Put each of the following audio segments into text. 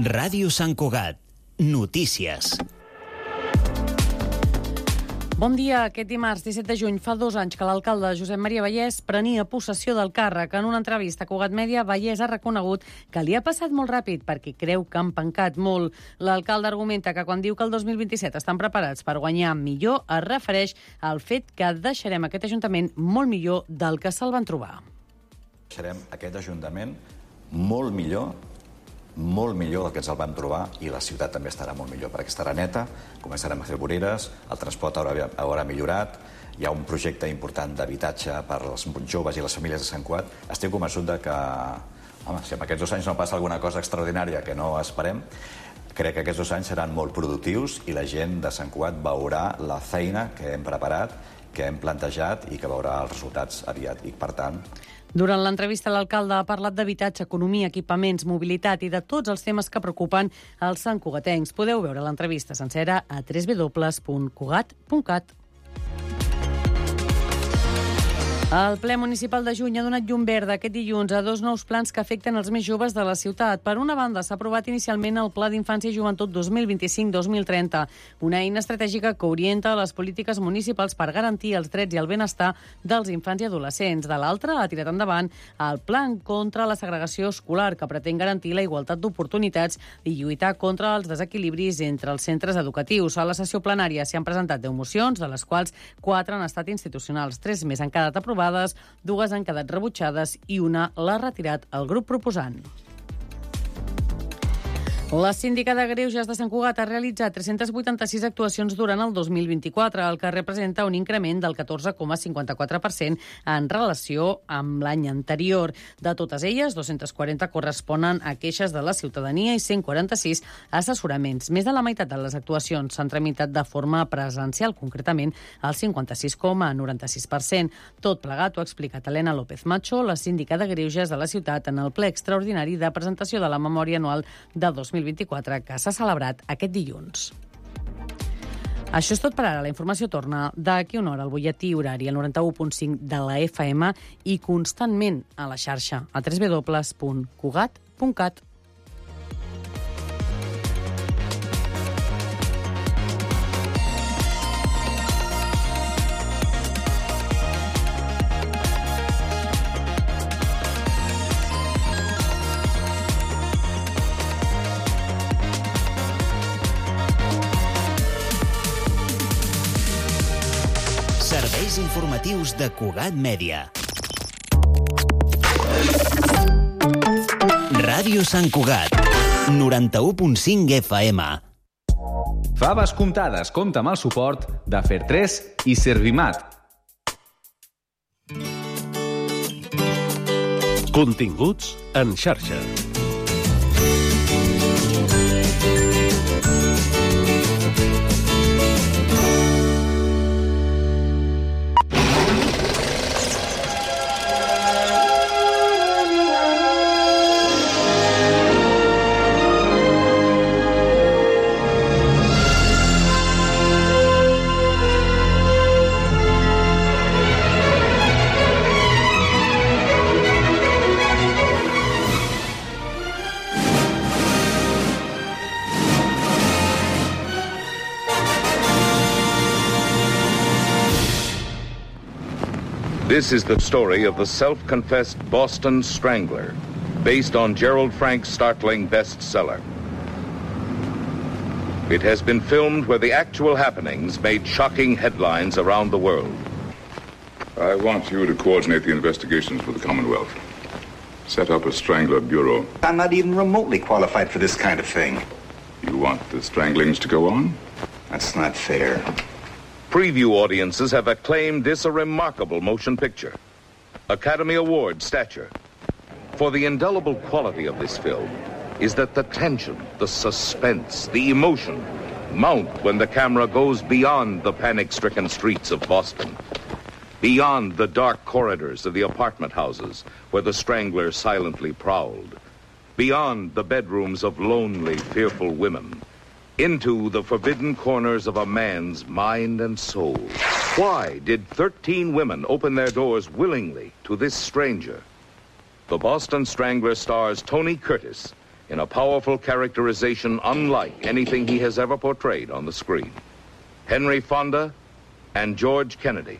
Ràdio Sant Cugat. Notícies. Bon dia. Aquest dimarts 17 de juny fa 2 anys que l'alcalde Josep Maria Vallès prenia possessió del càrrec. En una entrevista a Cugat Mèdia, Vallès ha reconegut que li ha passat molt ràpid perquè creu que han pencat molt. L'alcalde argumenta que quan diu que el 2027 estan preparats per guanyar millor, es refereix al fet que deixarem aquest ajuntament molt millor del que se'l van trobar. Deixarem aquest ajuntament molt millor del que ens el vam trobar, i la ciutat també estarà molt millor, perquè estarà neta, començarem a fer voreres, el transport haurà millorat, hi ha un projecte important d'habitatge per als joves i les famílies de Sant Cugat. Estic convençut de que, si en aquests 2 anys no passa alguna cosa extraordinària que no esperem, crec que aquests 2 anys seran molt productius i la gent de Sant Cugat veurà la feina que hem preparat, que hem plantejat i que veurà els resultats aviat. I, per tant, durant l'entrevista, l'alcalde ha parlat d'habitatge, economia, equipaments, mobilitat i de tots els temes que preocupen els santcugatencs. Podeu veure l'entrevista sencera a www.cugat.cat. El ple municipal de juny ha donat llum verda aquest dilluns a 2 nous plans que afecten els més joves de la ciutat. Per una banda, s'ha aprovat inicialment el Pla d'Infància i Joventut 2025-2030, una eina estratègica que orienta les polítiques municipals per garantir els drets i el benestar dels infants i adolescents. De l'altra, ha tirat endavant el Pla contra la segregació escolar, que pretén garantir la igualtat d'oportunitats i lluitar contra els desequilibris entre els centres educatius. A la sessió plenària s'hi han presentat 10 mocions, de les quals 4 han estat institucionals, 3 més han quedat aprovades, 2 han quedat rebutjades i una l'ha retirat el grup proposant. La síndica de Greuges de Sant Cugat ha realitzat 386 actuacions durant el 2024, el que representa un increment del 14,54% en relació amb l'any anterior. De totes elles, 240 corresponen a queixes de la ciutadania i 146 assessoraments. Més de la meitat de les actuacions s'han tramitat de forma presencial, concretament el 56,96%. Tot plegat ho ha explicat Helena López Macho, la síndica de Greuges de la ciutat, en el ple extraordinari de presentació de la memòria anual de 2024 que s'ha celebrat aquest dilluns. Això és tot per ara. La informació torna d'aquí una hora al butlletí horari al 91.5 de la FM i constantment a la xarxa a www.cugat.cat. Serveis informatius de Cugat Mèdia. Ràdio Sant Cugat, 91.5 FM. Faves comptades compta amb el suport de Fer3 i Servimat. Continguts en xarxa. This is the story of the self-confessed Boston Strangler, based on Gerald Frank's startling bestseller. It has been filmed where the actual happenings made shocking headlines around the world. I want you to coordinate the investigations for the Commonwealth. Set up a Strangler Bureau. I'm not even remotely qualified for this kind of thing. You want the stranglings to go on? That's not fair. Preview audiences have acclaimed this a remarkable motion picture. Academy Award stature. For the indelible quality of this film is that the tension, the suspense, the emotion mount when the camera goes beyond the panic-stricken streets of Boston, beyond the dark corridors of the apartment houses where the Strangler silently prowled, beyond the bedrooms of lonely, fearful women, into the forbidden corners of a man's mind and soul. Why did 13 women open their doors willingly to this stranger? The Boston Strangler stars Tony Curtis in a powerful characterization unlike anything he has ever portrayed on the screen. Henry Fonda and George Kennedy.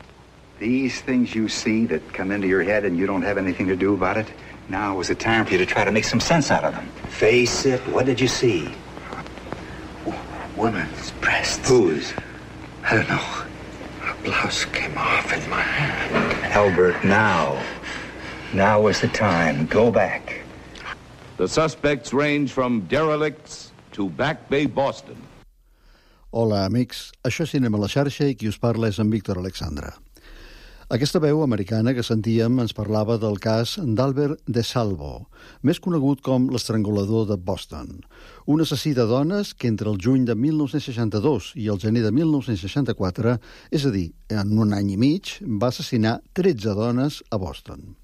These things you see that come into your head and you don't have anything to do about it, now is the time for you to try to make some sense out of them. Face it, what did you see? Woman's breasts. Whose? I don't know. Her blouse came off in my hand. Albert, now is the time. Go back. The suspects range from derelicts to Back Bay, Boston. Hola, amics. Això és Cinema a la xarxa i qui us parla és en Víctor Alexandra. Aquesta veu americana que sentíem ens parlava del cas d'Albert DeSalvo, més conegut com l'estrangulador de Boston, un assassí de dones que entre el juny de 1962 i el gener de 1964, és a dir, en un any i mig, va assassinar 13 dones a Boston.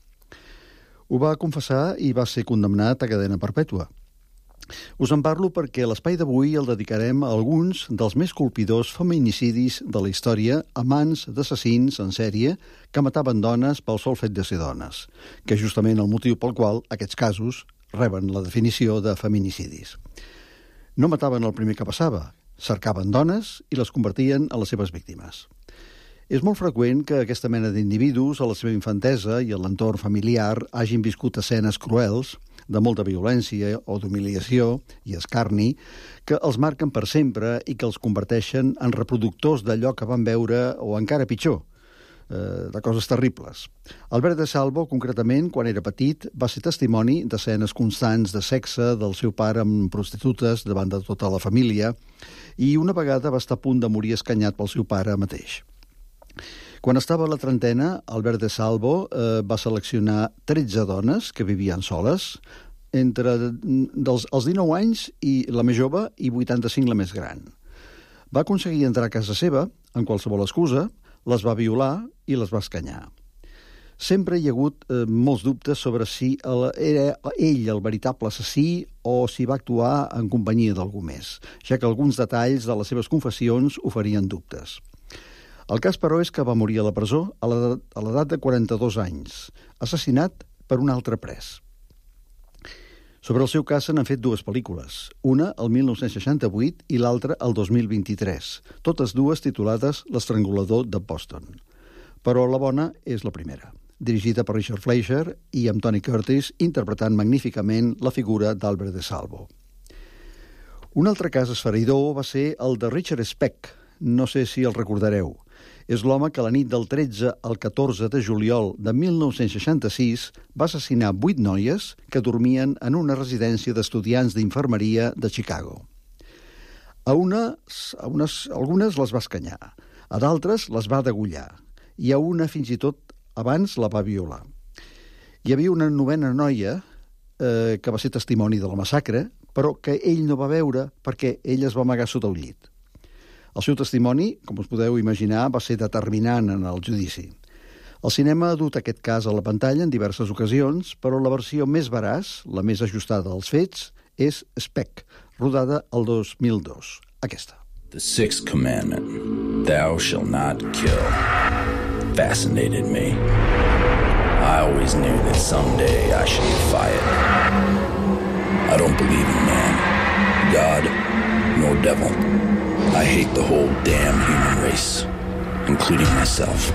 Ho va confessar i va ser condemnat a cadena perpètua. Us en parlo perquè l'espai d'avui el dedicarem a alguns dels més colpidors feminicidis de la història a mans d'assassins en sèrie que mataven dones pel sol fet de ser dones, que és justament el motiu pel qual aquests casos reben la definició de feminicidis. No mataven el primer que passava, cercaven dones i les convertien en les seves víctimes. És molt freqüent que aquesta mena d'individus a la seva infantesa i a l'entorn familiar hagin viscut escenes cruels, de molta violència o d'humiliació i escarni, que els marquen per sempre i que els converteixen en reproductors d'allò que van veure o encara pitjor, de coses terribles. Albert DeSalvo, concretament, quan era petit, va ser testimoni d'escenes constants de sexe del seu pare amb prostitutes davant de tota la família i una vegada va estar a punt de morir escanyat pel seu pare mateix. Quan estava a la trentena, Albert DeSalvo va seleccionar 13 dones que vivien soles, entre els 19 anys i la més jove i 85 la més gran. Va aconseguir entrar a casa seva, amb qualsevol excusa, les va violar i les va escanyar. Sempre hi ha hagut molts dubtes sobre si era ell el veritable assassí o si va actuar en companyia d'algú més, ja que alguns detalls de les seves confessions oferien dubtes. El cas, però, és que va morir a la presó a l'edat de 42 anys, assassinat per un altre pres. Sobre el seu cas se n'han fet dues pel·lícules, una el 1968 i l'altra el 2023, totes dues titulades L'estrangulador de Boston. Però la bona és la primera, dirigida per Richard Fleischer i amb Tony Curtis interpretant magníficament la figura d'Albert DeSalvo. Un altre cas esfereïdor va ser el de Richard Speck, no sé si el recordareu. És l'home que la nit del 13 al 14 de juliol de 1966 va assassinar 8 noies que dormien en una residència d'estudiants d'infermeria de Chicago. Algunes les va escanyar, a d'altres les va degollar, i a una fins i tot abans la va violar. Hi havia una 9a noia que va ser testimoni de la massacre, però que ell no va veure perquè ella es va amagar sota el llit. El seu testimoni, com us podeu imaginar, va ser determinant en el judici. El cinema ha dut aquest cas a la pantalla en diverses ocasions, però la versió més veraç, la més ajustada als fets, és Speck, rodada el 2002. Aquesta. The sixth commandment, thou shalt not kill, fascinated me. I always knew that someday I should defy it. I don't believe in man, God, nor devil. I hate the whole damn human race, including myself.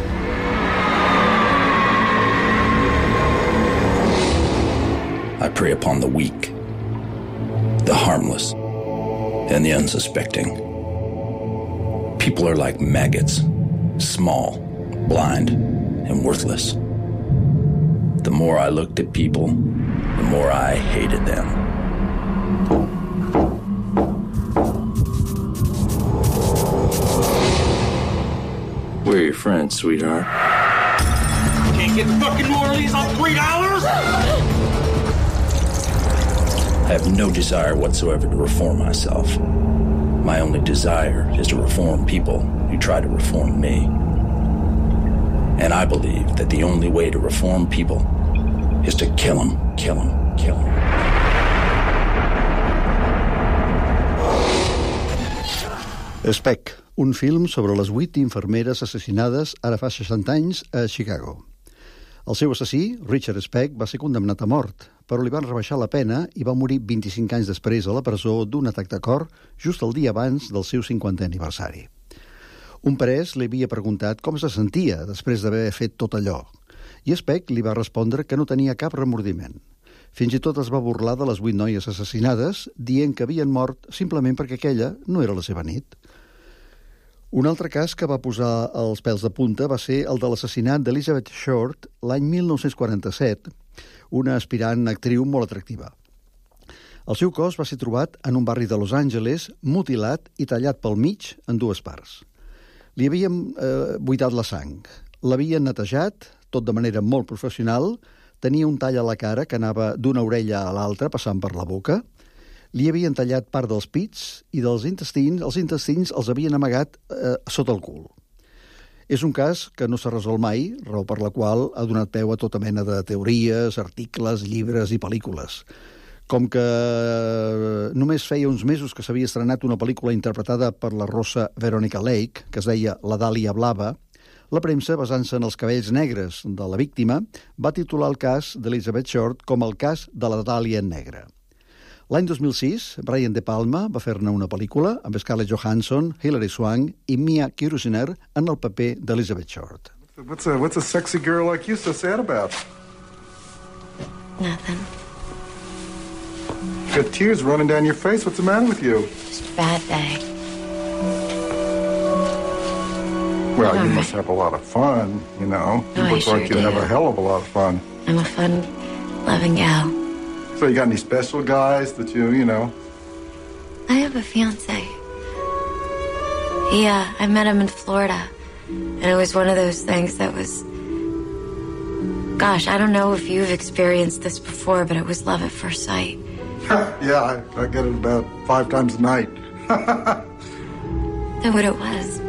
I prey upon the weak, the harmless, and the unsuspecting. People are like maggots, small, blind, and worthless. The more I looked at people, the more I hated them. We're your friends, sweetheart. Can't get fucking New Orleans on $3? I have no desire whatsoever to reform myself. My only desire is to reform people who try to reform me. And I believe that the only way to reform people is to kill them, kill them, kill them. Speck, un film sobre les 8 infermeres assassinades ara fa 60 anys a Chicago. El seu assassí, Richard Speck, va ser condemnat a mort, però li van rebaixar la pena i va morir 25 anys després a la presó d'un atac de cor just el dia abans del seu 50è aniversari. Un pres li havia preguntat com se sentia després d'haver fet tot allò, i Speck li va respondre que no tenia cap remordiment. Fins i tot es va burlar de les 8 noies assassinades, dient que havien mort simplement perquè aquella no era la seva nit. Un altre cas que va posar els pèls de punta va ser el de l'assassinat d'Elizabeth Short l'any 1947, una aspirant actriu molt atractiva. El seu cos va ser trobat en un barri de Los Angeles, mutilat i tallat pel mig en 2 parts. Li havien buidat la sang, l'havien netejat, tot de manera molt professional, tenia un tall a la cara que anava d'una orella a l'altra, passant per la boca, li havien tallat part dels pits i dels intestins, els intestins els havien amagat sota el cul. És un cas que no s'ha resolt mai, raó per la qual ha donat peu a tota mena de teories, articles, llibres i pel·lícules. Com que només feia uns mesos que s'havia estrenat una pel·lícula interpretada per la rossa Veronica Lake, que es deia La Dàlia Blava, la premsa, basant-se en els cabells negres de la víctima, va titular el cas d'Elizabeth Short com el cas de la Dàlia Negra. L'any 2006, Brian De Palma va fer-ne una pel·lícula amb Scarlett Johansson, Hilary Swank i Mia Kirshner en el paper d'Elizabeth Short. What's a sexy girl like you so sad about? Nothing. You got tears running down your face. What's the matter with you? Just a bad day. Well, you must have a lot of fun, you know. You look like you have a hell of a lot of fun. I'm a fun-loving gal. So you got any special guys that you know? I have a fiancé. Yeah, I met him in Florida. And it was one of those things that was... Gosh, I don't know if you've experienced this before, but it was love at first sight. Yeah, I get it about 5 times a night. That's what it was.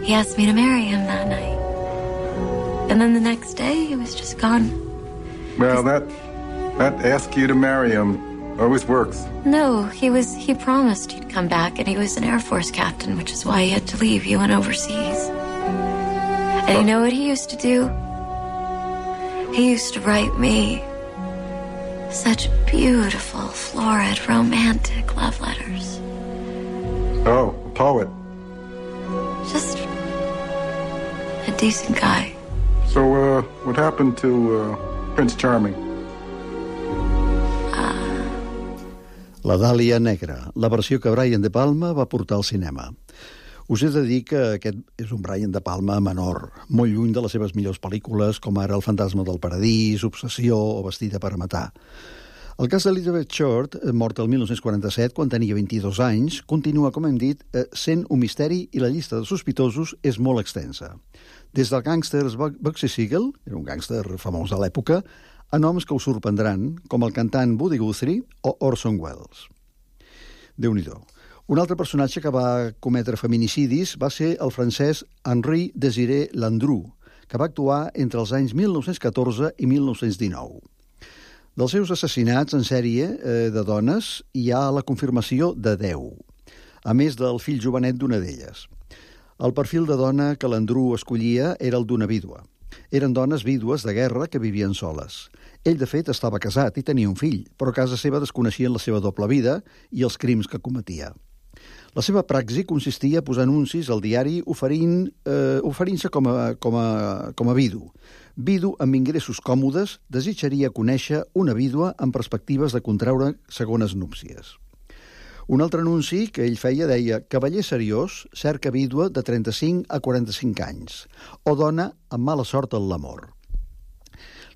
He asked me to marry him that night. And then the next day, he was just gone. Well, that ask you to marry him always works. No, he promised he'd come back, and he was an Air Force captain, which is why he had to leave. He went overseas. And you know what he used to do? He used to write me such beautiful, florid, romantic love letters. Oh, a poet. Just a decent guy. So, what happened to Prince Charming? La Dàlia Negra, la versió que Brian De Palma va portar al cinema. Us he de dir que aquest és un Brian De Palma menor, molt lluny de les seves millors pel·lícules, com ara El fantasma del paradís, Obsessió o Vestida per a matar. El cas d'Elizabeth Short, morta el 1947, quan tenia 22 anys, continua, com hem dit, sent un misteri i la llista de sospitosos és molt extensa. Des del gàngster Bugsy Siegel, era un gàngster famós a l'època, a noms que us sorprendran, com el cantant Woody Guthrie o Orson Welles. Déu-n'hi-do. Un altre personatge que va cometre feminicidis va ser el francès Henri Désiré Landru, que va actuar entre els anys 1914 i 1919. Dels seus assassinats en sèrie de dones hi ha la confirmació de 10, a més del fill jovenet d'una d'elles. El perfil de dona que Landru escollia era el d'una vídua. Eren dones vídues de guerra que vivien soles. Ell, de fet, estava casat i tenia un fill, però a casa seva desconeixien la seva doble vida i els crims que cometia. La seva praxi consistia a posar anuncis al diari oferint-se com a vidu. Vidu amb ingressos còmodes desitjaria conèixer una vídua amb perspectives de contraure segones núpcies. Un altre anunci que ell feia deia «Cavaller seriós cerca vídua de 35 a 45 anys» o «Dona amb mala sort en l'amor».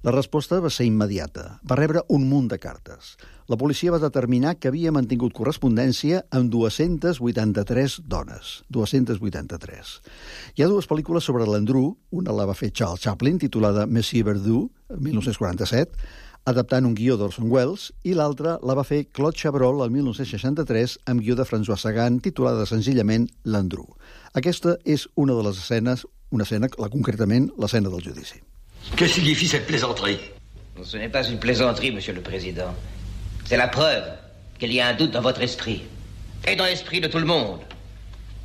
La resposta va ser immediata. Va rebre un munt de cartes. La policia va determinar que havia mantingut correspondència amb 283 dones. 283. Hi ha 2 pel·lícules sobre Landru. Una la va fer Charles Chaplin, titulada Monsieur Verdoux, 1947, adaptant un guió d'Orson Welles, i l'altra la va fer Claude Chabrol el 1963 amb guió de François Sagan, titulada senzillament Landru. Aquesta és una de les escenes, concretament l'escena del judici. Que signifie cette plaisanterie? Ce n'est pas une plaisanterie, Monsieur le Président. C'est la preuve qu'il y a un doute dans votre esprit. Et dans l'esprit de tout le monde.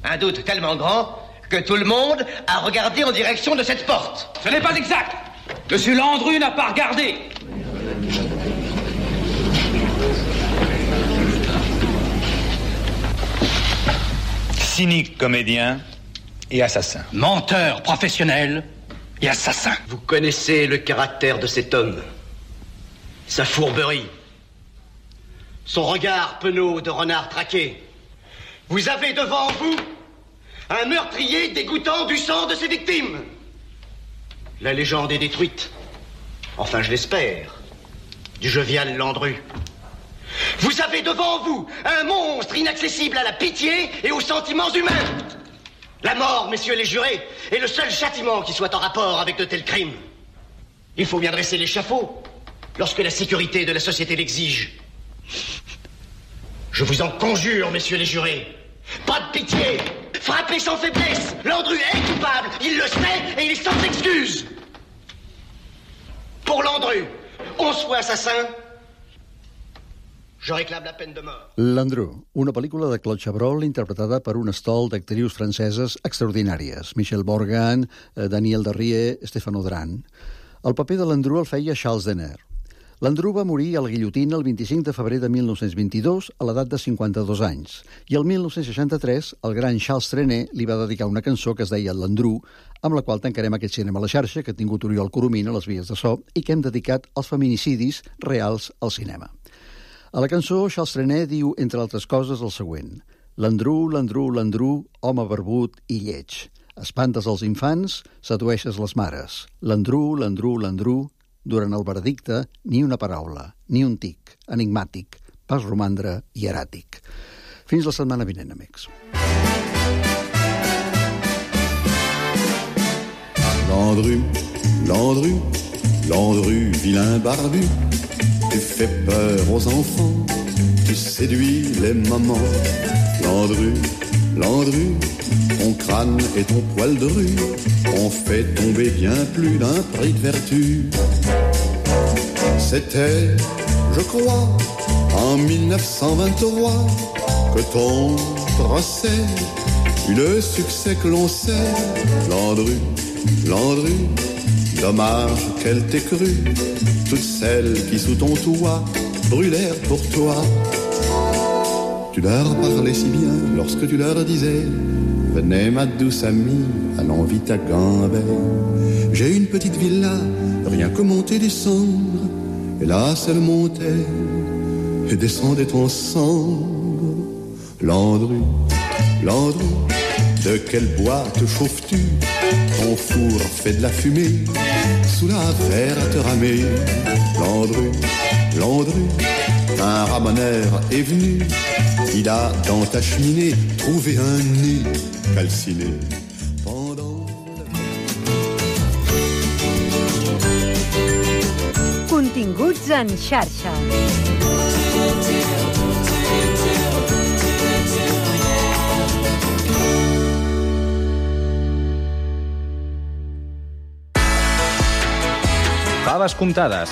Un doute tellement grand que tout le monde a regardé en direction de cette porte. Ce n'est pas exact. Monsieur Landru n'a pas regardé. Cynique comédien et assassin. Menteur professionnel et assassin. Vous connaissez le caractère de cet homme, sa fourberie, son regard penaud de renard traqué. Vous avez devant vous un meurtrier dégoûtant du sang de ses victimes. La légende est détruite, enfin je l'espère, du jovial Landru. Vous avez devant vous un monstre inaccessible à la pitié et aux sentiments humains. La mort, messieurs les jurés, est le seul châtiment qui soit en rapport avec de tels crimes. Il faut bien dresser l'échafaud lorsque la sécurité de la société l'exige. Je vous en conjure, messieurs les jurés, pas de pitié. Frappez sans faiblesse. Landru est coupable, il le sait et il est sans excuse. Pour Landru, 11 fois assassin, je réclame la peine de mort. Landru, una pel·lícula de Claude Chabrol interpretada per un estol d'actrius franceses extraordinàries. Michel Morgan, Daniel Darrier, Stéphane Audran. El paper de Landru el feia Charles Denner. Landru va morir a la guillotina el 25 de febrer de 1922 a l'edat de 52 anys i el 1963 el gran Charles Trenet li va dedicar una cançó que es deia Landru, amb la qual tancarem aquest cinema a la xarxa que ha tingut Oriol Coromina a les vies de so i que hem dedicat als feminicidis reals al cinema. A la cançó, Charles Trenet diu, entre altres coses, el següent: Landru, Landru, Landru, home barbut i lleig. Espantes els infants, sedueixes les mares. Landru, Landru, Landru. Durant el veredicte, ni una paraula, ni un tic, enigmàtic, pas romandre i eràtic. Fins la setmana vinent, amics. Landru, Landru, Landru, vilain barbu, tu fais peur aux enfants, tu séduis les mamans. Landru, Landru, ton crâne et ton poil de rue ont fait tomber bien plus d'un prix de vertu. C'était, je crois, en 1923 que ton procès eut le succès que l'on sait. Landru, Landru, dommage qu'elle t'ait cru. Toutes celles qui sous ton toit brûlèrent pour toi. Tu leur parlais si bien lorsque tu leur disais: venez ma douce amie, allons vite à Gambais. J'ai une petite villa, rien que monter descendre. Et là c'est le montait et descendait ensemble. Landru, Landru, de quel bois te chauffes-tu? Ton four fait de la fumée sous la verte ramée. Landru, Landru, un ramoneur est venu. Il a dans ta cheminée trouvé un nez calciné. Continguts en xarxa. Faves comptades.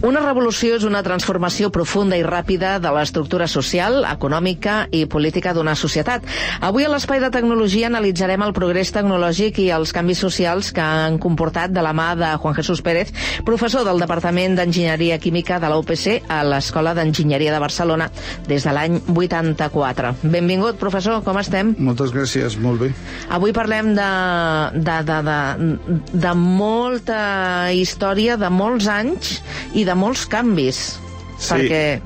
Una revolució és una transformació profunda i ràpida de l'estructura social, econòmica i política d'una societat. Avui a l'Espai de Tecnologia analitzarem el progrés tecnològic i els canvis socials que han comportat de la mà de Juan Jesús Pérez, professor del Departament d'Enginyeria Química de la UPC a l'Escola d'Enginyeria de Barcelona des de l'any 84. Benvingut, professor, com estem? Moltes gràcies, molt bé. Avui parlem de molta història, de molts anys i de molts canvis, sí. Perquè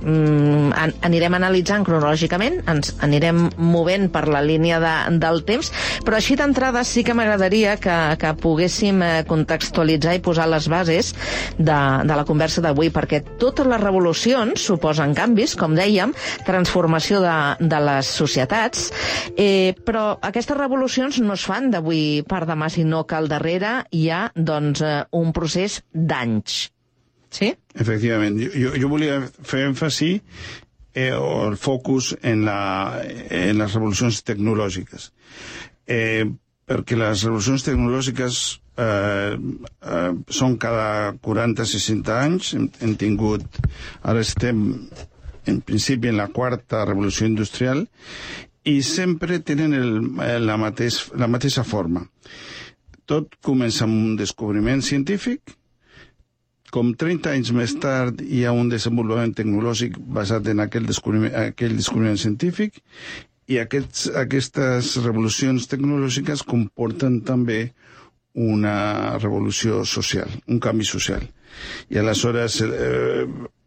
anirem analitzant cronològicament, ens anirem movent per la línia del temps, però així d'entrada sí que m'agradaria que poguéssim contextualitzar i posar les bases de la conversa d'avui, perquè totes les revolucions suposen canvis, com dèiem, transformació de les societats, però aquestes revolucions no es fan d'avui per demà, sinó que al darrere hi ha doncs, un procés d'anys. Sí? Efectivament. Jo volia fer èmfasi o el focus en les revolucions tecnològiques. Perquè les revolucions tecnològiques són cada 40-60 anys. Hem tingut, ara estem en principi en la quarta revolució industrial, i sempre tenen la mateixa forma. Tot comença amb un descobriment científic, com 30 anys més tard hi ha un desenvolupament tecnològic basat en aquell descobriment científic, i aquestes revolucions tecnològiques comporten també una revolució social, un canvi social. I aleshores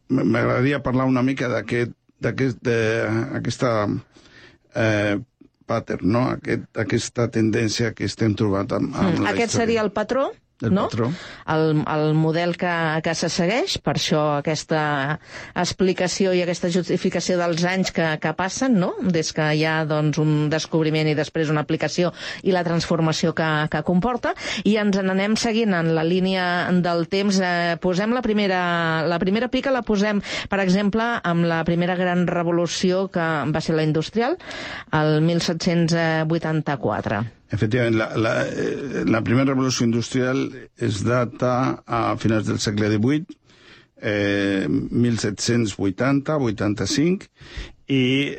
m'agradaria parlar una mica d'aquesta pattern, no? Aquesta tendència que estem trobant amb la història. Aquest seria el patró? No? El model que se segueix, per això aquesta explicació i aquesta justificació dels anys que passen, no? Des que hi ha un descobriment i després una aplicació i la transformació que comporta, i ens n'anem seguint en la línia del temps. Posem la primera pica, la posem, per exemple, amb la primera gran revolució que va ser la industrial, el 1784. Efectivament, la primera revolució industrial es data a finals del segle XVIII, 1780-85, i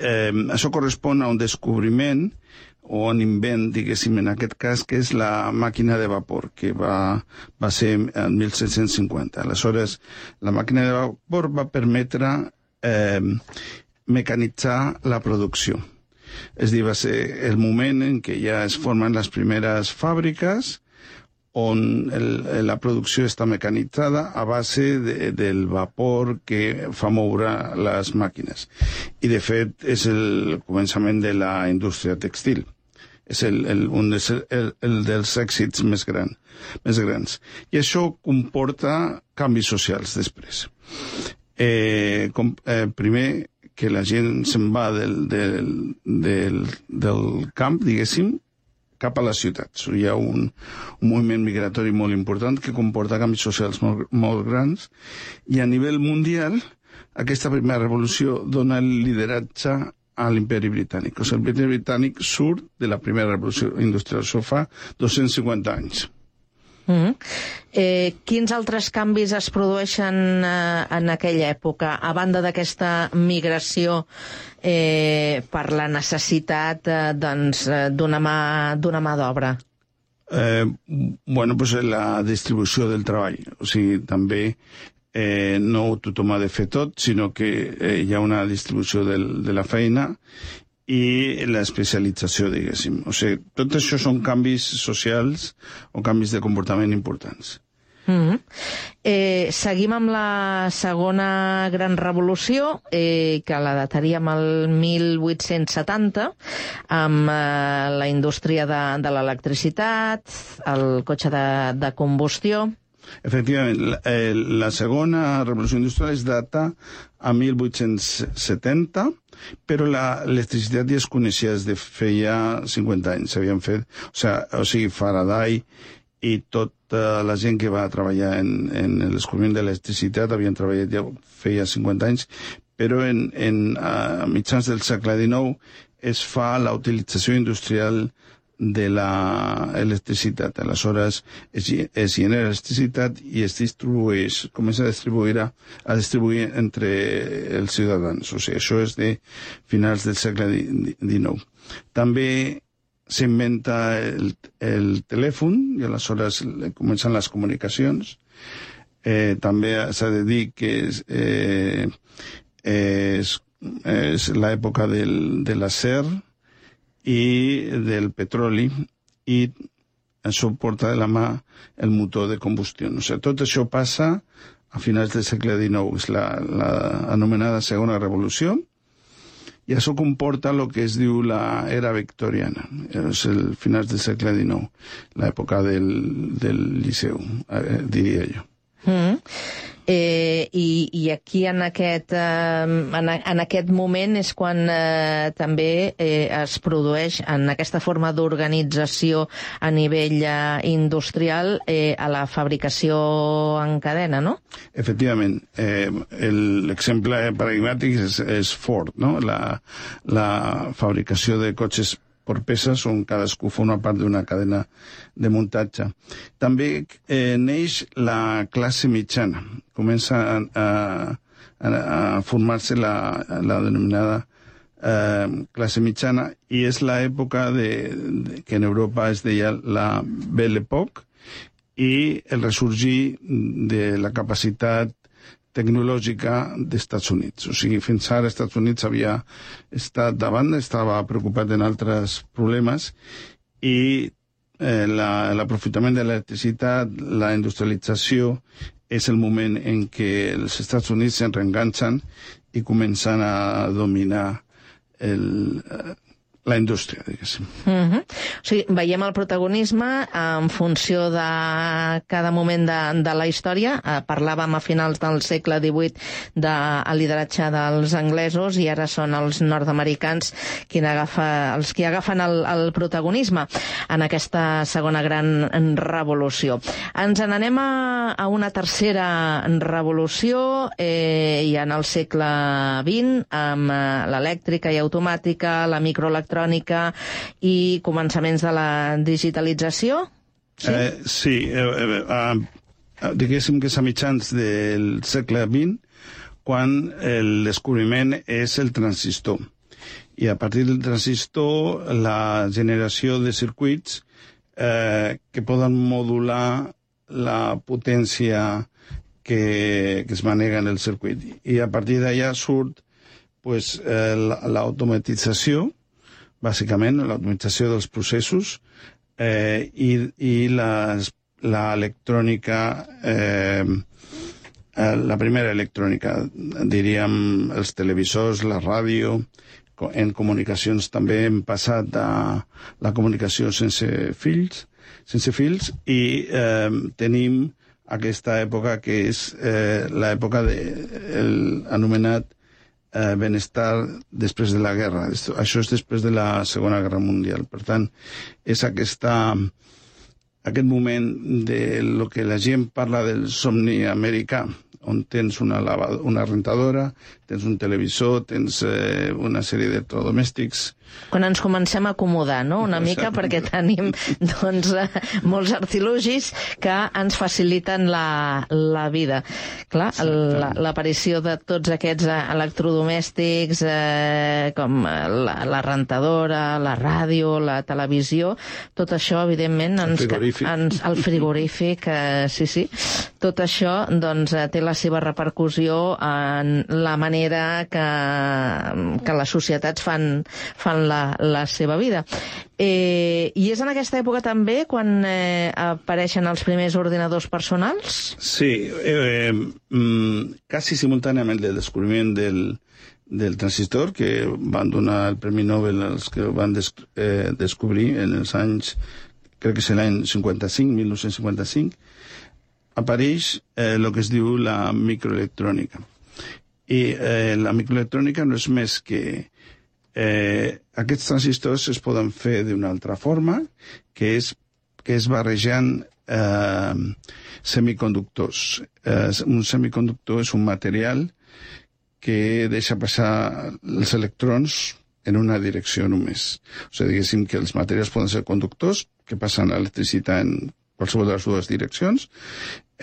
això correspon a un descobriment o un invent, diguéssim, en aquest cas, que és la màquina de vapor, que va ser el 1750. Aleshores, la màquina de vapor va permetre mecanitzar la producció. És a dir, va ser el moment en què ja es formen les primeres fàbriques on la producció està mecanitzada a base del vapor que fa moure les màquines. I, de fet, és el començament de la indústria textil. És un dels èxits més grans. I això comporta canvis socials després. Primer, que la gent se'n va del camp, diguéssim, cap a les ciutats. Hi ha un moviment migratori molt important que comporta canvis socials molt grans, i a nivell mundial aquesta primera revolució dona el lideratge a l'imperi britànic. O sigui, l'imperi britànic surt de la primera revolució industrial. Això fa 250 anys. Quins altres canvis es produeixen en aquella època, a banda d'aquesta migració per la necessitat d'una mà d'obra? La distribució del treball. O sigui, també no tothom ha de fer tot, sinó que hi ha una distribució de la feina i l'especialització, diguéssim. O sigui, tot això són canvis socials o canvis de comportament importants. Seguim amb la segona gran revolució, que la dataríem al 1870, amb la indústria de l'electricitat, el cotxe de combustió. Efectivament, la segona revolució industrial es data a 1870, però l'electricitat ja es coneixia des de feia 50 anys. S'havien fet, o sigui, Faraday i tota la gent que va treballar en el descobriment de l'electricitat havien treballat ja feia 50 anys, però a mitjans del segle XIX es fa la utilització industrial de l'electricitat. Aleshores es genera electricitat i es distribueix, comença a distribuir entre els ciutadans. O sigui, això és de finals del segle XIX. També s'inventa el telèfon i aleshores comencen les comunicacions. També s'ha de dir que és l'època de l'acer i del petroli, i això porta de la mà el motor de combustió. O sigui, tot això passa a finals del segle XIX, és l'anomenada segona revolució, i això comporta el que es diu l'era victoriana, és el finals del segle XIX, l'època del Liceu, diria jo. I aquí en aquest moment és quan també es produeix en aquesta forma d'organització a nivell industrial a la fabricació en cadena, no? Efectivament. L'exemple paradigmàtic és Ford, no? La fabricació de cotxes per peces on cadascú forma part d'una cadena de muntatge. També neix la classe mitjana. Comença a formar-se la denominada classe mitjana i és l'època que en Europa es deia la Belle Époque i el ressorgir de la capacitat tecnològica dels Estats Units. O sigui, fins ara els Estats Units havia estat davant, estava preocupat en altres problemes i l'aprofitament de l'electricitat, la industrialització, és el moment en què els Estats Units se'n reenganxen i comencen a dominar la indústria, diguéssim. O sigui, veiem el protagonisme en funció de cada moment de la història. Parlàvem a finals del segle XVIII del lideratge dels anglesos i ara són els nord-americans els qui agafen el protagonisme en aquesta segona gran revolució. Ens n'anem a una tercera revolució i en el segle XX amb l'elèctrica i automàtica, la microelectrònica i començaments de la digitalització? Sí, diguéssim que és a mitjans del segle XX quan el descobriment és el transistor. I a partir del transistor la generació de circuits que poden modular la potència que es manega en el circuit. I a partir d'allà surt l'automatització, bàsicament, l'automatització dels processos i l'electrònica, la primera electrònica, diríem els televisors, la ràdio. En comunicacions també hem passat a la comunicació sense fils i tenim aquesta època que és l'època anomenat benestar després de la guerra. Això és després de la Segona Guerra Mundial. Per tant, és aquest moment de lo que la gent parla del somni americà, on tens una rentadora, tens un televisor, tens una sèrie d'electrodomèstics. Quan ens comencem a acomodar, no?, una mica, perquè tenim molts artilugis que ens faciliten la vida. Clar, l'aparició de tots aquests electrodomèstics com la rentadora, la ràdio, la televisió, tot això, evidentment, el frigorífic, sí, tot això té la seva repercussió en la manera que les societats fan la seva vida. I és en aquesta època també quan apareixen els primers ordinadors personals? Sí, quasi simultàniament del descobriment del transistor, que van donar el Premi Nobel als que van descobrir en els anys, crec que és l'any 1955, apareix el que es diu la microelectrònica. I la microelectrònica no és més que aquests transistors es poden fer d'una altra forma, que és barrejant semiconductors. Un semiconductor és un material que deixa passar els electrons en una direcció només. O sigui, diguéssim que els materials poden ser conductors que passen l'electricitat en qualsevol de les dues direccions.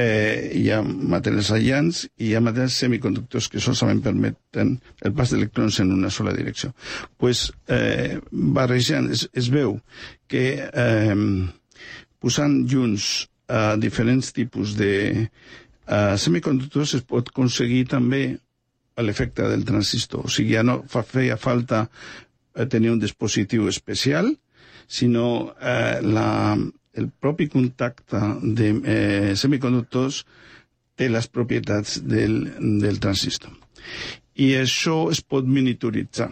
Hi ha materials aïllants i hi ha materials semiconductors que solament permeten el pas d'electrons en una sola direcció. Barrejant, es veu que posant junts diferents tipus de semiconductors es pot aconseguir també l'efecte del transistor. O sigui, ja no feia falta tenir un dispositiu especial, sinó el propi contacte de semiconductors té les propietats del transistor. I això es pot miniaturitzar.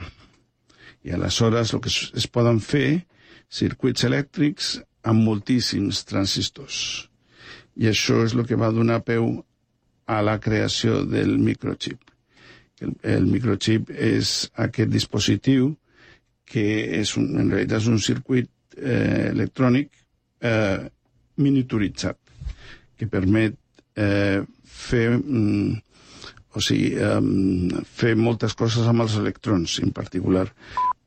I aleshores el que es poden fer circuits elèctrics amb moltíssims transistors. I això és el que va donar peu a la creació del microchip. El microchip és aquest dispositiu que en realitat és un circuit electrònic miniaturitzat que permet fer moltes coses amb els electrons, en particular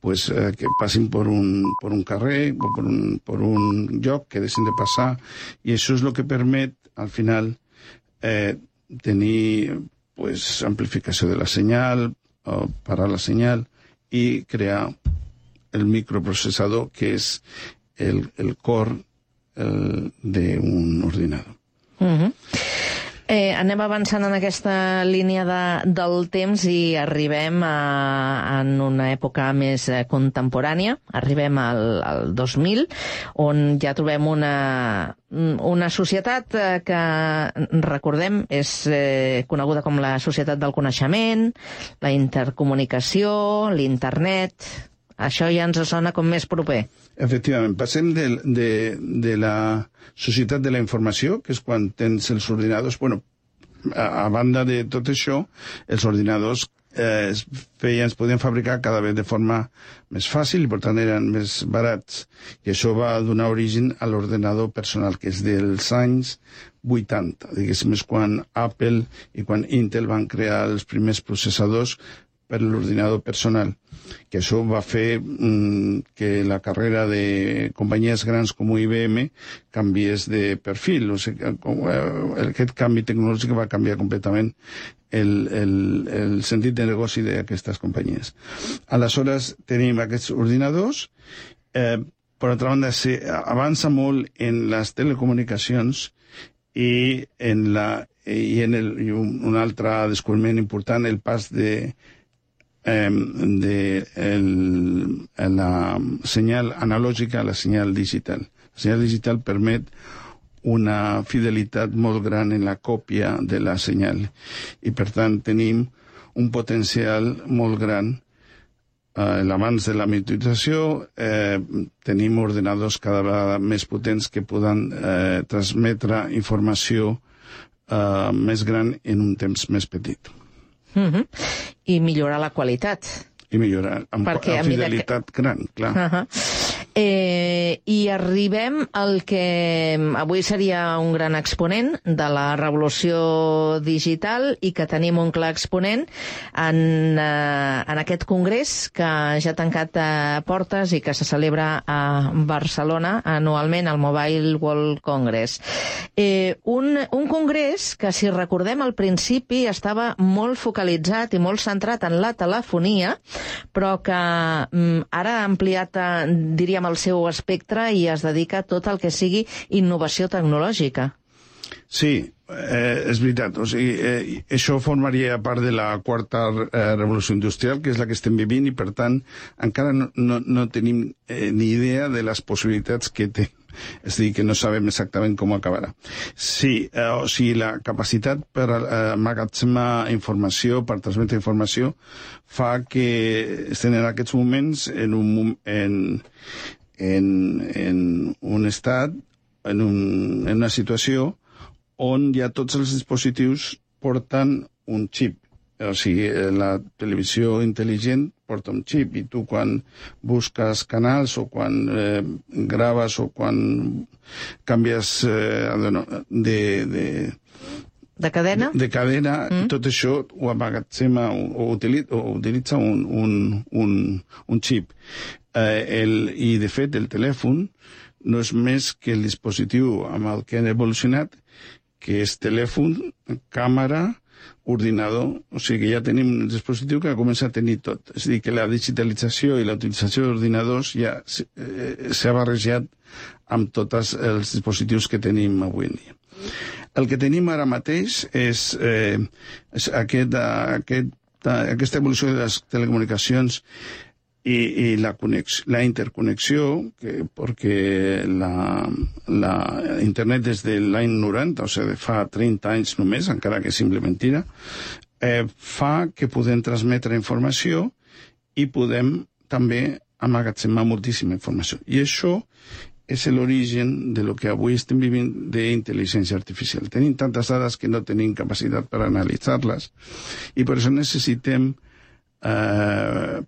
que passin per un carrer o per un lloc que deixen de passar, i això és el que permet al final tenir amplificació de la senyal, parar la senyal i crear el microprocessador, que és el cor d'un ordinador. Anem avançant en aquesta línia del temps i arribem en una època més contemporània, arribem al 2000, on ja trobem una societat que, recordem, és coneguda com la societat del coneixement, la intercomunicació, l'internet. Això ja ens sona com més proper. Efectivament, passem de la societat de la informació, que és quan tens els ordinadors. Bueno, a banda de tot això, els ordinadors es podien fabricar cada vegada de forma més fàcil i per tant eren més barats. I això va donar origen a l'ordenador personal, que és dels anys 80. Diguéssim, és quan Apple i quan Intel van crear els primers processadors per l'ordinador personal, que això va fer que la carrera de companyies grans com IBM canviés de perfil. O sigui, aquest canvi tecnològic va canviar completament el sentit de negoci d'aquestes companyies. Aleshores, tenim aquests ordinadors. Per altra banda, avança molt en les telecomunicacions i un altre descobriment important, el pas de la senyal analògica a la senyal digital. La senyal digital permet una fidelitat molt gran en la còpia de la senyal i per tant tenim un potencial molt gran. L'abans de la miniaturització tenim ordenadors cada vegada més potents que poden transmetre informació més gran en un temps més petit. I millorar la qualitat. I millorar amb fidelitat gran, clar. I arribem al que avui seria un gran exponent de la revolució digital i que tenim un clar exponent en aquest congrés que ja ha tancat portes i que se celebra a Barcelona anualment, al Mobile World Congress. Un congrés que, si recordem, al principi estava molt focalitzat i molt centrat en la telefonia, però que ara ha ampliat, diríem, el seu espectre i es dedica a tot el que sigui innovació tecnològica. Sí, és veritat. O sigui, això formaria part de la quarta revolució industrial, que és la que estem vivint, i per tant encara no tenim ni idea de les possibilitats que té. És a dir, que no sabem exactament com acabarà. Sí, o sigui, la capacitat per emmagatzemar informació, per transmetre informació, fa que estem en aquests moments en un estat, en una situació on ja tots els dispositius porten un xip. O sigui, la televisió intel·ligent porta un xip i tu quan busques canals o quan graves o quan canvies de cadena, tot això ho emmagatzema o utilitza un xip. I, de fet, el telèfon no és més que el dispositiu amb el que han evolucionat, que és telèfon, càmera, ordinador. O sigui que ja tenim un dispositiu que comença a tenir tot. És a dir, que la digitalització i la utilització d'ordinadors ja s'ha barrejat amb tots els dispositius que tenim avui en dia. El que tenim ara mateix és aquesta evolució de les telecomunicacions i la interconnexió, perquè la internet des de l'any 90, o sigui, fa 30 anys només, encara que sembla mentida, fa que podem transmetre informació i podem també emmagatzemar moltíssima informació. I això és l'origen de lo que avui estem vivint d'intel·ligència artificial. Tenim tantes dades que no tenim capacitat per analitzar-les i per això necessitem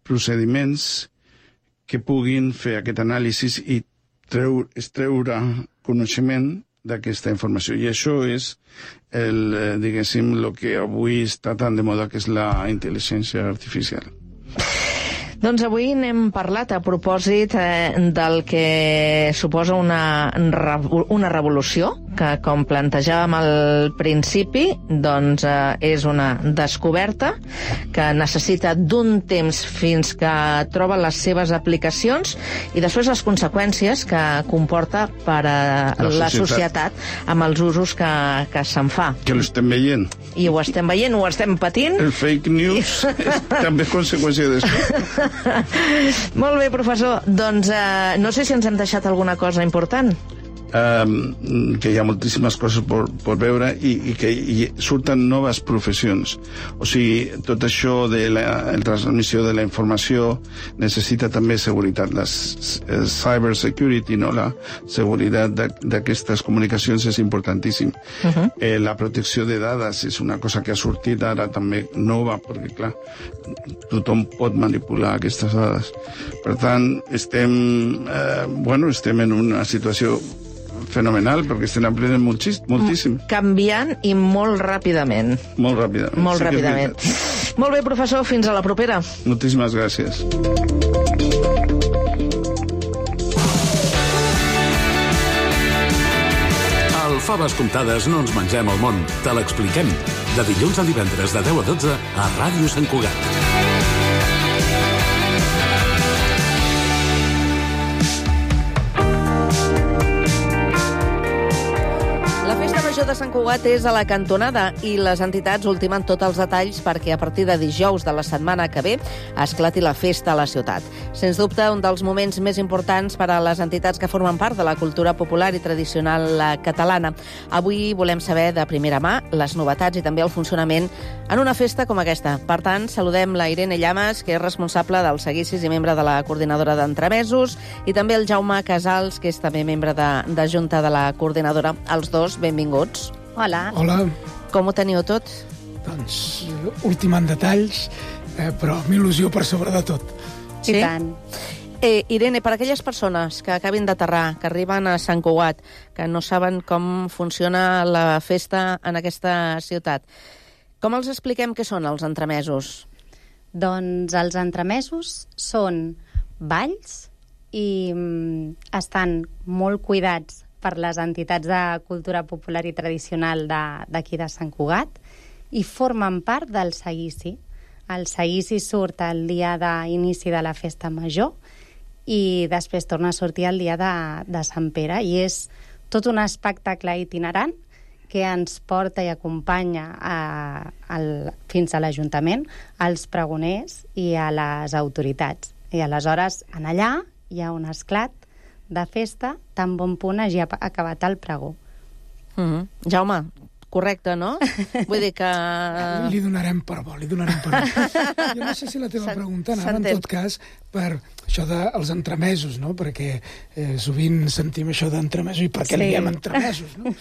procediments que puguin fer aquest anàlisi i extreure coneixement d'aquesta informació. I això és diguéssim, el que avui està tan de moda, que és la intel·ligència artificial. Doncs avui n'hem parlat a propòsit del que suposa una revolució, que com plantejàvem al principi, doncs és una descoberta que necessita d'un temps fins que troba les seves aplicacions i després les conseqüències que comporta per a la societat amb els usos que se'n fa. Que l'estem veient. I ho estem veient, ho estem patint. El fake news és també conseqüència d'això. Molt bé, professor. Doncs no sé si ens hem deixat alguna cosa important. Que hi ha moltíssimes coses per veure i que surten noves professions. O sigui, tot això de la transmissió de la informació necessita també seguretat. La cyber security, no? La seguretat d'aquestes comunicacions és importantíssim. La protecció de dades és una cosa que ha sortit ara també nova, perquè, clar, tothom pot manipular aquestes dades. Per tant, estem en una situació fenomenal, perquè estem aprenent moltíssim. Canviant i molt ràpidament. Molt ràpidament. Molt ràpidament. Molt bé, professor, fins a la propera. Moltíssimes gràcies. Al Faves Comptades no ens mengem el món, te l'expliquem. De dilluns a divendres de 10 a 12 a Ràdio Sant Cugat. De Sant Cugat és a la cantonada i les entitats ultimen tots els detalls perquè a partir de dijous de la setmana que ve esclati la festa a la ciutat. Sens dubte, un dels moments més importants per a les entitats que formen part de la cultura popular i tradicional catalana. Avui volem saber de primera mà les novetats i també el funcionament en una festa com aquesta. Per tant, saludem la Irene Llamas, que és responsable dels seguicis i membre de la coordinadora d'entremesos, i també el Jaume Casals, que és també membre de junta de la coordinadora. Els dos, benvinguts. Hola. Hola. Com ho teniu tot? Doncs ultimant detalls, però amb il·lusió per sobre de tot. Sí? I tant. Irene, per aquelles persones que acabin d'aterrar, que arriben a Sant Cugat, que no saben com funciona la festa en aquesta ciutat, com els expliquem què són els entremesos? Doncs els entremesos són balls i estan molt cuidats per les entitats de cultura popular i tradicional d'aquí de Sant Cugat i formen part del seguici. El seguici surt el dia d'inici de la festa major i després torna a sortir el dia de Sant Pere i és tot un espectacle itinerant que ens porta i acompanya fins a l'Ajuntament, als pregoners i a les autoritats. I aleshores, en allà hi ha un esclat de festa, tan bon punt hagi acabat el pregó. Jaume, correcte, no? Vull dir que... Li donarem per bo, li donarem per bo. Jo no sé si la teva pregunta anava, en tot cas, per això dels entremesos, no? Perquè sovint sentim això d'entremesos i per què li diem entremesos, no?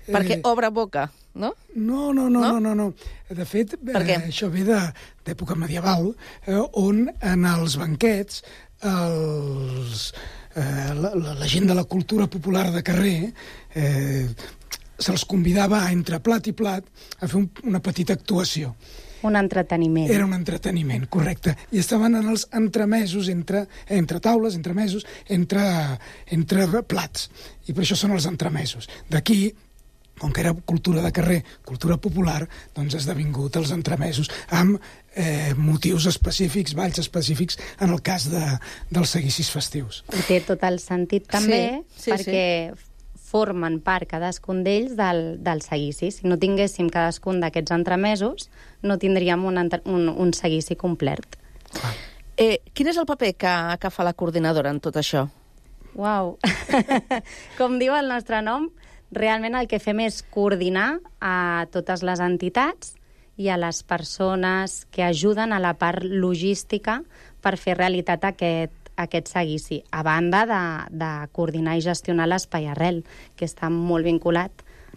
Perquè obre boca, no? No. De fet, això ve d'època medieval, on en els banquets la gent de la cultura popular de carrer se'ls convidava a entre plat i plat a fer una petita actuació. Un entreteniment. Era un entreteniment, correcte. I estaven en els entremesos, entre taules, entremesos, entre plats. I per això són els entremesos. D'aquí, com que era cultura de carrer, cultura popular, doncs ha esdevingut els entremesos amb motius específics, balls específics, en el cas dels seguicis festius. I té tot el sentit també, perquè formen part cadascun d'ells del seguici. Si no tinguéssim cadascun d'aquests entremesos, no tindríem un seguici complet. Quin és el paper que fa la coordinadora en tot això? Uau! Com diu el nostre nom, realment el que fem és coordinar a totes les entitats i a les persones que ajuden a la part logística per fer realitat aquest seguici, a banda de coordinar i gestionar l'espai arrel, que està molt vinculat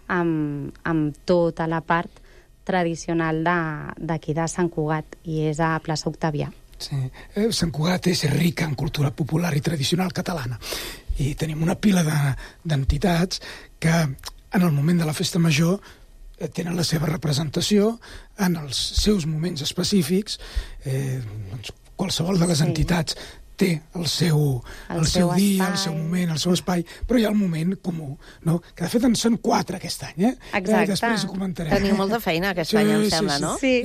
amb tota la part tradicional d'aquí de Sant Cugat, i és a plaça Octavià. Sí. Sant Cugat és rica en cultura popular i tradicional catalana, i tenim una pila d'entitats que en el moment de la festa major tenen la seva representació en els seus moments específics. Qualsevol de les entitats té el seu dia, el seu moment, el seu espai, però hi ha el moment comú, no? Que de fet en són 4 aquest any, Exacte. Després ho comentarem. Teniu molta feina aquest any, em sembla, no? Sí.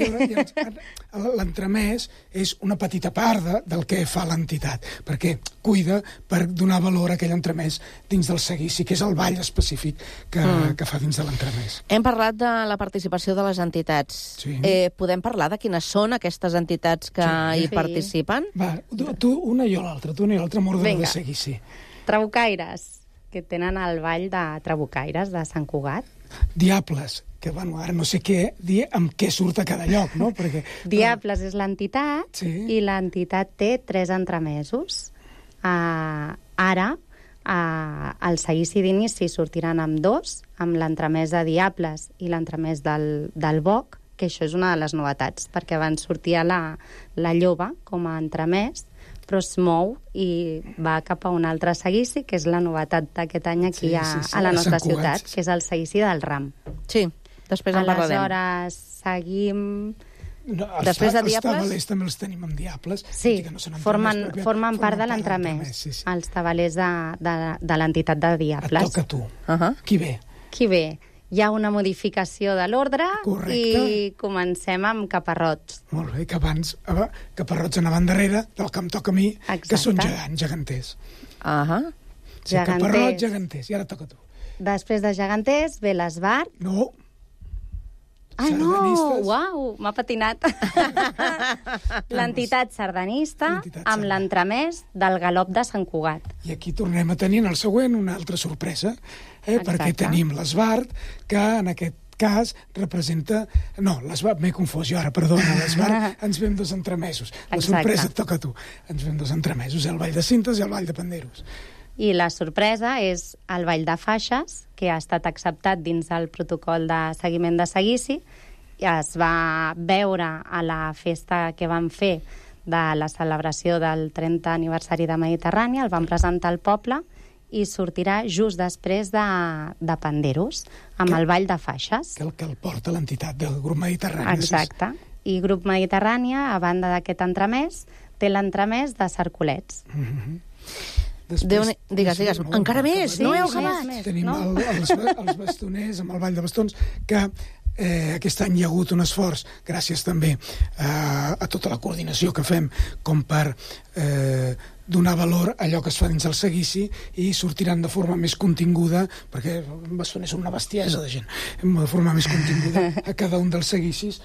L'entremès és una petita part del que fa l'entitat, perquè cuida per donar valor a aquell entremès dins del seguici, que és el ball específic que fa dins de l'entremès. Hem parlat de la participació de les entitats. Sí. Podem parlar de quines són aquestes entitats que hi participen? Va, tu una i jo l'altra, m'ordre de seguici. Trabucaires, que tenen el ball de Trabucaires de Sant Cugat. Diables, que ara no sé què dir amb què surt a cada lloc, no? Perquè, Diables és l'entitat, i l'entitat té 3 entremesos. Ara, el seguici d'inici sortiran amb 2, amb l'entremès de Diables i l'entremès del Boc, que això és una de les novetats, perquè abans sortia la Lloba com a entremès, però es mou i va cap a un altre seguici, que és la novetat d'aquest any aquí a la nostra ciutat, que és el seguici del Ram. Sí, després en parlarem. Aleshores, seguim... Després de Diables... Els tabalers també els tenim amb Diables. Sí, formen part de l'entremès, els tabalers de l'entitat de Diables. Et toca a tu. Qui ve? Qui ve? Hi ha una modificació de l'ordre i comencem amb caparrots. Molt bé, que abans caparrots anaven darrere del que em toca a mi, que són geganters. Caparrots, geganters, i ara toca a tu. Després de geganters ve l'esbart. No. No! Uau, m'ha patinat. L'entitat sardanista amb l'entremès del galop de Sant Cugat. I aquí tornem a tenir en el següent una altra sorpresa, perquè tenim l'esbart, que en aquest cas representa... No, l'esbart, m'he confós jo ara, perdona, l'esbart ens ve amb 2 entremesos. La sorpresa et toca a tu. Ens ve amb 2 entremesos, el ball de cintes i el ball de panderos. I la sorpresa és el ball de faixes, que ha estat acceptat dins del protocol de seguiment de seguici. Es va veure a la festa que vam fer de la celebració del 30 aniversari de Mediterrània, el vam presentar al poble i sortirà just després de Panderos, amb el ball de faixes. Que el porta l'entitat del grup Mediterrània. Exacte. I grup Mediterrània, a banda d'aquest entremès, té l'entremès de Cercolets. Digues, encara més, no heu acabat. Tenim els bastoners, amb el ball de bastons, que aquest any hi ha hagut un esforç, gràcies també a tota la coordinació que fem, com per donar valor a allò que es fa dins el seguici, i sortiran de forma més continguda, perquè bastoners són una bestiesa de gent, de forma més continguda a cada un dels seguicis,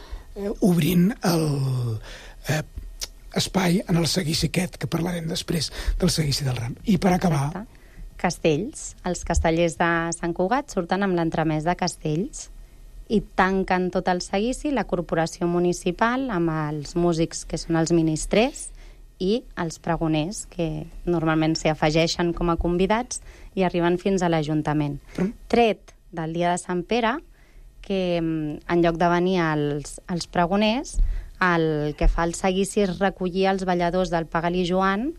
obrint espai en el seguici aquest, que parlarem després del seguici del Ram. I per acabar... Castells. Els castellers de Sant Cugat surten amb l'entremès de Castells i tanquen tot el seguici la corporació municipal amb els músics que són els ministrers i els pregoners, que normalment s'hi afegeixen com a convidats i arriben fins a l'Ajuntament. Tret del dia de Sant Pere, que en lloc de venir els pregoners, el que fa el seguici és recollir els balladors del Pagal i Joan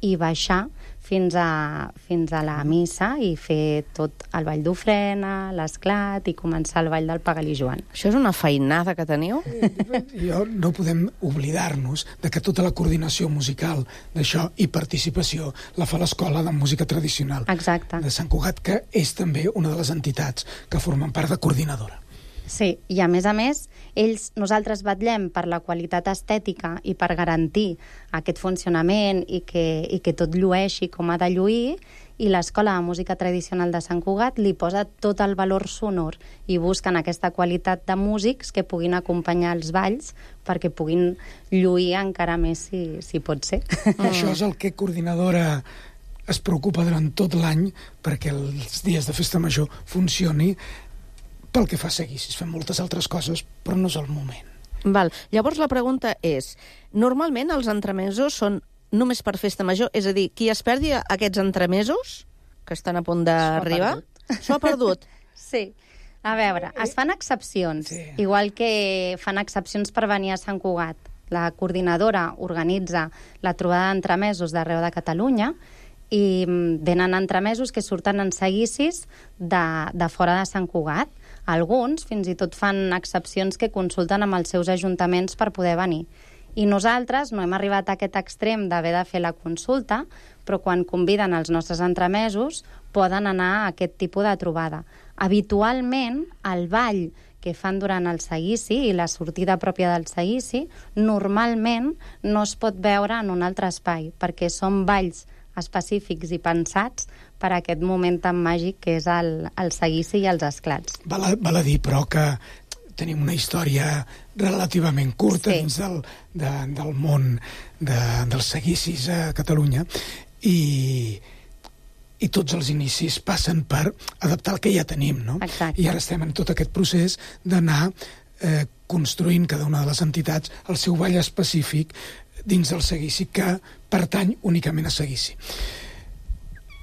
i baixar fins a la missa i fer tot el ball d'ofrena, l'esclat i començar el ball del Pagal i Joan. Això és una feinada que teniu? No podem oblidar-nos de que tota la coordinació musical d'això i participació la fa l'Escola de Música Tradicional de Sant Cugat, que és també una de les entitats que formen part de coordinadora. Sí, i a més, nosaltres vetllem per la qualitat estètica i per garantir aquest funcionament i que tot llueixi com ha de lluir, i l'Escola de Música Tradicional de Sant Cugat li posa tot el valor sonor i busquen aquesta qualitat de músics que puguin acompanyar els balls perquè puguin lluir encara més si pot ser. Això és el que coordinadora es preocupa durant tot l'any perquè els dies de festa major funcioni. Pel que fa a seguicis, fem moltes altres coses, però no és el moment. Llavors la pregunta és, normalment els entremesos són només per festa major? És a dir, qui es perdi aquests entremesos, que estan a punt d'arribar, s'ho ha perdut. Sí. A veure, es fan excepcions, igual que fan excepcions per venir a Sant Cugat. La coordinadora organitza la trobada d'entremesos d'arreu de Catalunya i venen entremesos que surten en seguicis de fora de Sant Cugat. Alguns fins i tot fan excepcions que consulten amb els seus ajuntaments per poder venir. I nosaltres no hem arribat a aquest extrem d'haver de fer la consulta, però quan conviden els nostres entremesos poden anar a aquest tipus de trobada. Habitualment, el ball que fan durant el seguici i la sortida pròpia del seguici, normalment no es pot veure en un altre espai, perquè són balls específics i pensats per a aquest moment tan màgic que és el seguici i els esclats. Val a dir, però, que tenim una història relativament curta dins del món dels seguicis a Catalunya i tots els inicis passen per adaptar el que ja tenim, no? Exacte. I ara estem en tot aquest procés d'anar construint cada una de les entitats el seu ball específic dins del seguici que pertany únicament a seguici.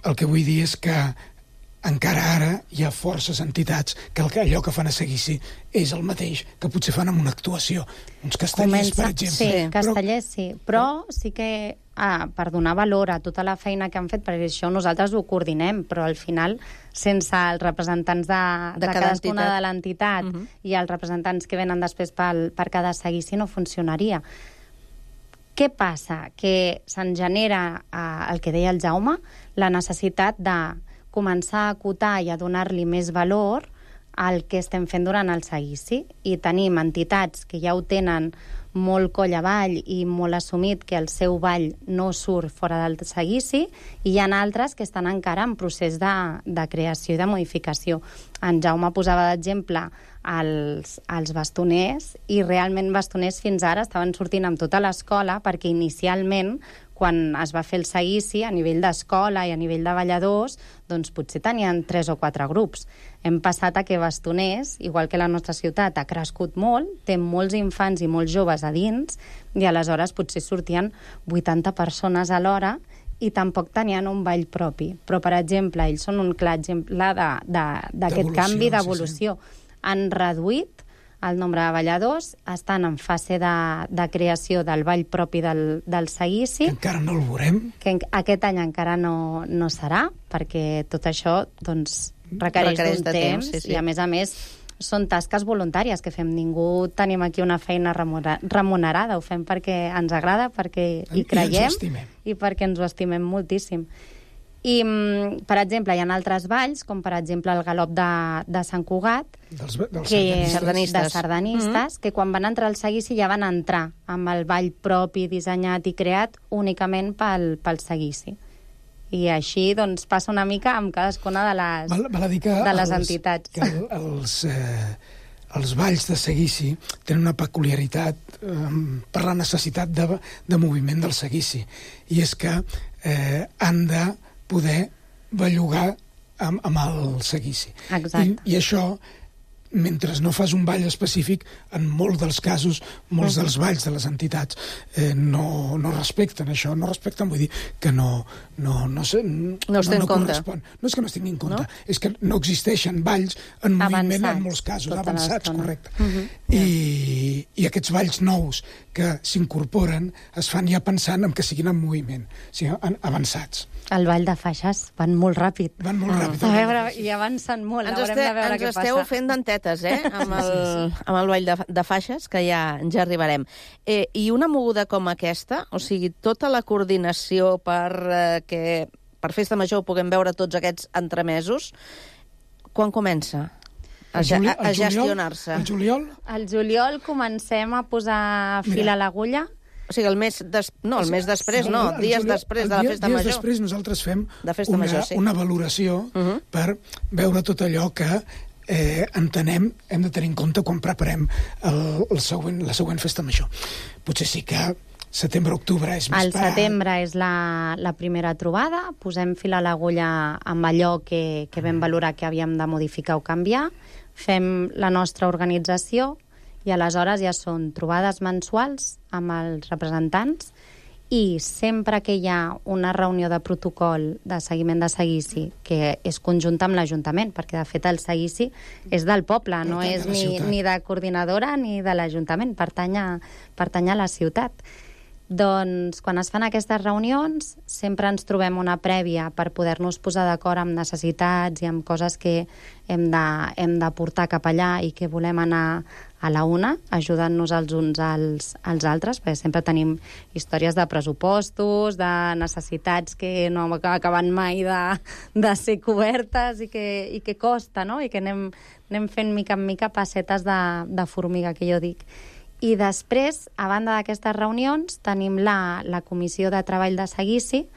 El que vull dir és que encara ara hi ha forces entitats que allò que fan a seguici és el mateix que potser fan amb una actuació. Uns castellers, per exemple. Sí, castellers sí, però sí que per donar valor a tota la feina que han fet, perquè això nosaltres ho coordinem, però al final, sense els representants de cadascuna de l'entitat i els representants que venen després per cada seguici no funcionaria. Què passa? Que se'n genera, el que deia el Jaume, la necessitat de començar a acotar i a donar-li més valor al que estem fent durant el seguici. I tenim entitats que ja ho tenen molt coll avall i molt assumit que el seu ball no surt fora del seguici, i hi ha altres que estan encara en procés de creació i de modificació. En Jaume posava d'exemple els bastoners, i realment bastoners fins ara estaven sortint amb tota l'escola, perquè inicialment, quan es va fer el seguici, a nivell d'escola i a nivell de balladors, doncs potser tenien 3 o 4 grups. Hem passat a que bastoners, igual que la nostra ciutat, ha crescut molt, té molts infants i molts joves a dins, i aleshores potser sortien 80 persones a l'hora i tampoc tenien un ball propi. Però, per exemple, ells són un clar exemple d'aquest canvi d'evolució. Han reduït el nombre de balladors, estan en fase de creació del ball propi del seguici. Que encara no el veurem. Que aquest any encara no serà, perquè tot això requereix d'un temps, i a més són tasques voluntàries que fem. Ningú tenim aquí una feina remunerada, ho fem perquè ens agrada, perquè hi creiem i perquè ens ho estimem moltíssim. I, per exemple, hi ha altres balls, com per exemple el galop de Sant Cugat, de sardanistes, que quan van entrar al seguici ja van entrar amb el ball propi, dissenyat i creat únicament pel seguici. I així passa una mica amb cadascuna de les entitats. Que els balls de seguici tenen una peculiaritat per la necessitat de moviment del seguici, i és que han de poder bellugar amb el seguici. Exacte. I això, mentre no fas un ball específic, en molts dels casos, molts dels balls de les entitats no respecten això, no respecten, vull dir que no correspon. No és que no es tingui en compte, és que no existeixen balls en moviment en molts casos, avançats, correcte. I aquests balls nous que s'incorporen es fan ja pensant en que siguin en moviment, o sigui, avançats. El ball de faixes van molt ràpid. Van molt ràpid. A veure, i avancen molt. Haurem de veure què passa. Ens esteu fent dentetes, amb el ball de faixes, que ja arribarem. I una moguda com aquesta, o sigui, tota la coordinació que per Festa Major puguem veure tots aquests entremesos, quan comença a gestionar-se? El juliol? El juliol comencem a posar fil a l'agulla. O sigui, el mes després, dies després de la Festa Major. Dies després nosaltres fem una valoració per veure tot allò que entenem, hem de tenir en compte quan preparem la següent Festa Major. Potser sí que setembre-octubre és més... Al setembre és la primera trobada, posem fil a l'agulla amb allò que vam valorar que havíem de modificar o canviar, fem la nostra organització, i aleshores ja són trobades mensuals amb els representants, i sempre que hi ha una reunió de protocol de seguiment de seguici, que és conjunta amb l'Ajuntament, perquè de fet el seguici és del poble, no és ni de coordinadora ni de l'Ajuntament, pertany a la ciutat. Doncs quan es fan aquestes reunions sempre ens trobem una prèvia per poder-nos posar d'acord amb necessitats i amb coses que hem de portar cap allà i que volem anar a la una, ajudant-nos els uns als altres, perquè sempre tenim històries de pressupostos, de necessitats que no acaben mai de ser cobertes i que costa, no? I que anem fent mica en mica passetes de formiga, que jo dic. I després, a banda d'aquestes reunions, tenim la comissió de treball de seguici,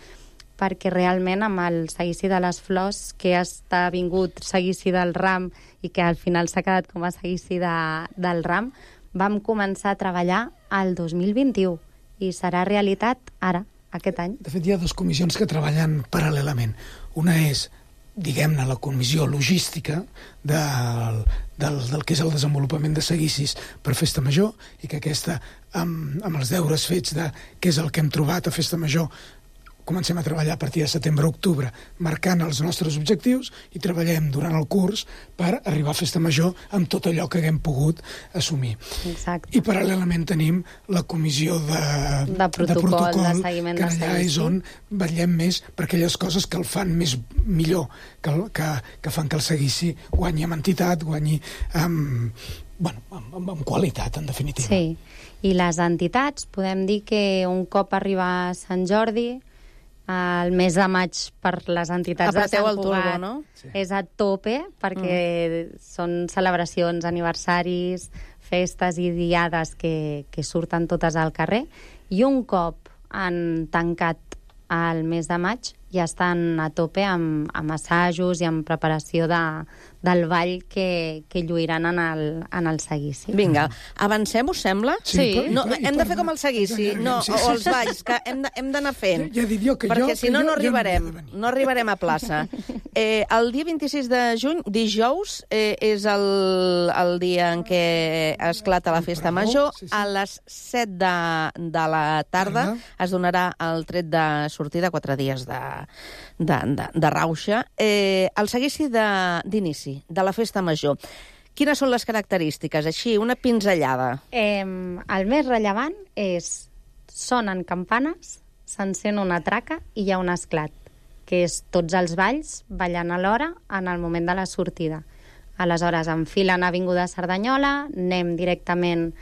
perquè realment amb el seguici de les flors, que ha vingut seguici del ram i que al final s'ha quedat com a seguici del ram, vam començar a treballar el 2021 i serà realitat ara, aquest any. De fet, hi ha dues comissions que treballen paral·lelament. Una és, diguem-ne, la comissió logística del que és el desenvolupament de seguicis per Festa Major, i que aquesta, amb els deures fets de què és el que hem trobat a Festa Major, comencem a treballar a partir de setembre-octubre, marcant els nostres objectius, i treballem durant el curs per arribar a Festa Major amb tot allò que haguem pogut assumir. Exacte. I paral·lelament tenim la comissió de protocol, de seguiment que de allà és on vetllem més per aquelles coses que el fan millor, que fan que el seguici guanyi amb entitat, guanyi amb qualitat, en definitiva. Sí, i les entitats, podem dir que un cop arriba Sant Jordi, el mes de maig per les entitats de Sant Cugat, no? És a tope, perquè són celebracions, aniversaris, festes i diades que surten totes al carrer, i un cop han tancat el mes de maig ja estan a tope amb assajos i amb preparació del ball que lluiran en el seguici. Vinga, avancem, us sembla? Sí. No, hem de fer com el seguici, o els balls, que hem d'anar fent. Ja he dit jo que perquè si no, no arribarem a plaça. El dia 26 de juny, dijous, és el dia en què esclata la Festa Major. A les 7 de la tarda es donarà el tret de sortida, 4 dies de rauxa. El seguici d'inici de la Festa Major. Quines són les característiques? Així, una pinzellada. El més rellevant és sonen campanes, s'encén una traca i hi ha un esclat, que és tots els balls ballant alhora en el moment de la sortida. Aleshores, enfilen Avinguda Cerdanyola, anem directament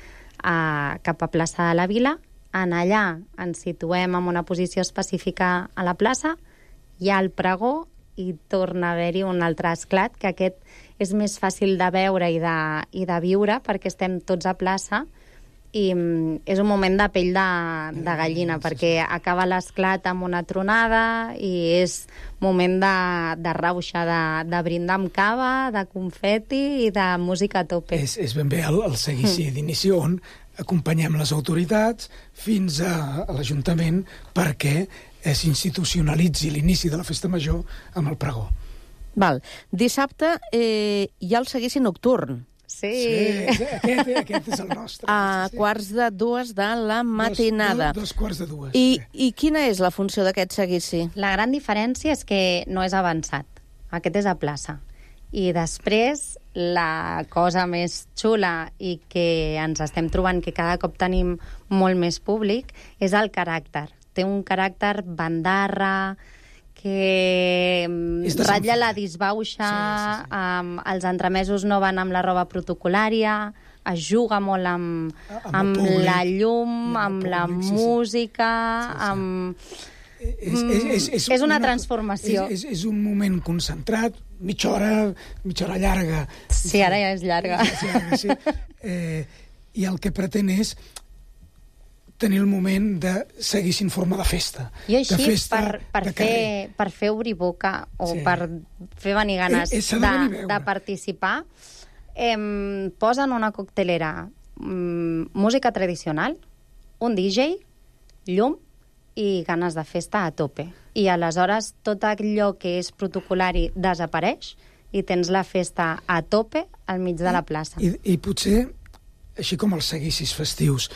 cap a plaça de la Vila, en allà ens situem en una posició específica a la plaça, hi ha el pregó i torna a haver-hi un altre esclat, que aquest és més fàcil de veure i de viure perquè estem tots a plaça, i és un moment de pell de gallina, perquè acaba l'esclat amb una tronada i és moment de rauxa, de brindar amb cava, de confeti i de música a tope. És ben bé el seguici d'inici on acompanyem les autoritats fins a l'Ajuntament perquè s'institucionalitzi l'inici de la Festa Major amb el pregó. Val. Dissabte hi ha el seguici nocturn. Sí, aquest és el nostre. A quarts de 2 de la matinada. Dos quarts de 2. I quina és la funció d'aquest seguici? La gran diferència és que no és avançat. Aquest és a plaça. I després, la cosa més xula i que ens estem trobant que cada cop tenim molt més públic és el caràcter. Té un caràcter bandarra, que ratlla la disbauxa, els entremesos no van amb la roba protocolària, es juga molt amb la llum, amb la música, és una transformació. És un moment concentrat, mitja hora llarga. Sí, ara ja és llarga. Sí. I el que pretén és tenir el moment de seguir-se en forma de festa. I així, per fer obrir boca o per fer venir ganes de participar, posen una coctelera, música tradicional, un DJ, llum i ganes de festa a tope. I aleshores tot allò que és protocolari desapareix i tens la festa a tope al mig de la plaça. I potser, així com els seguicis festius,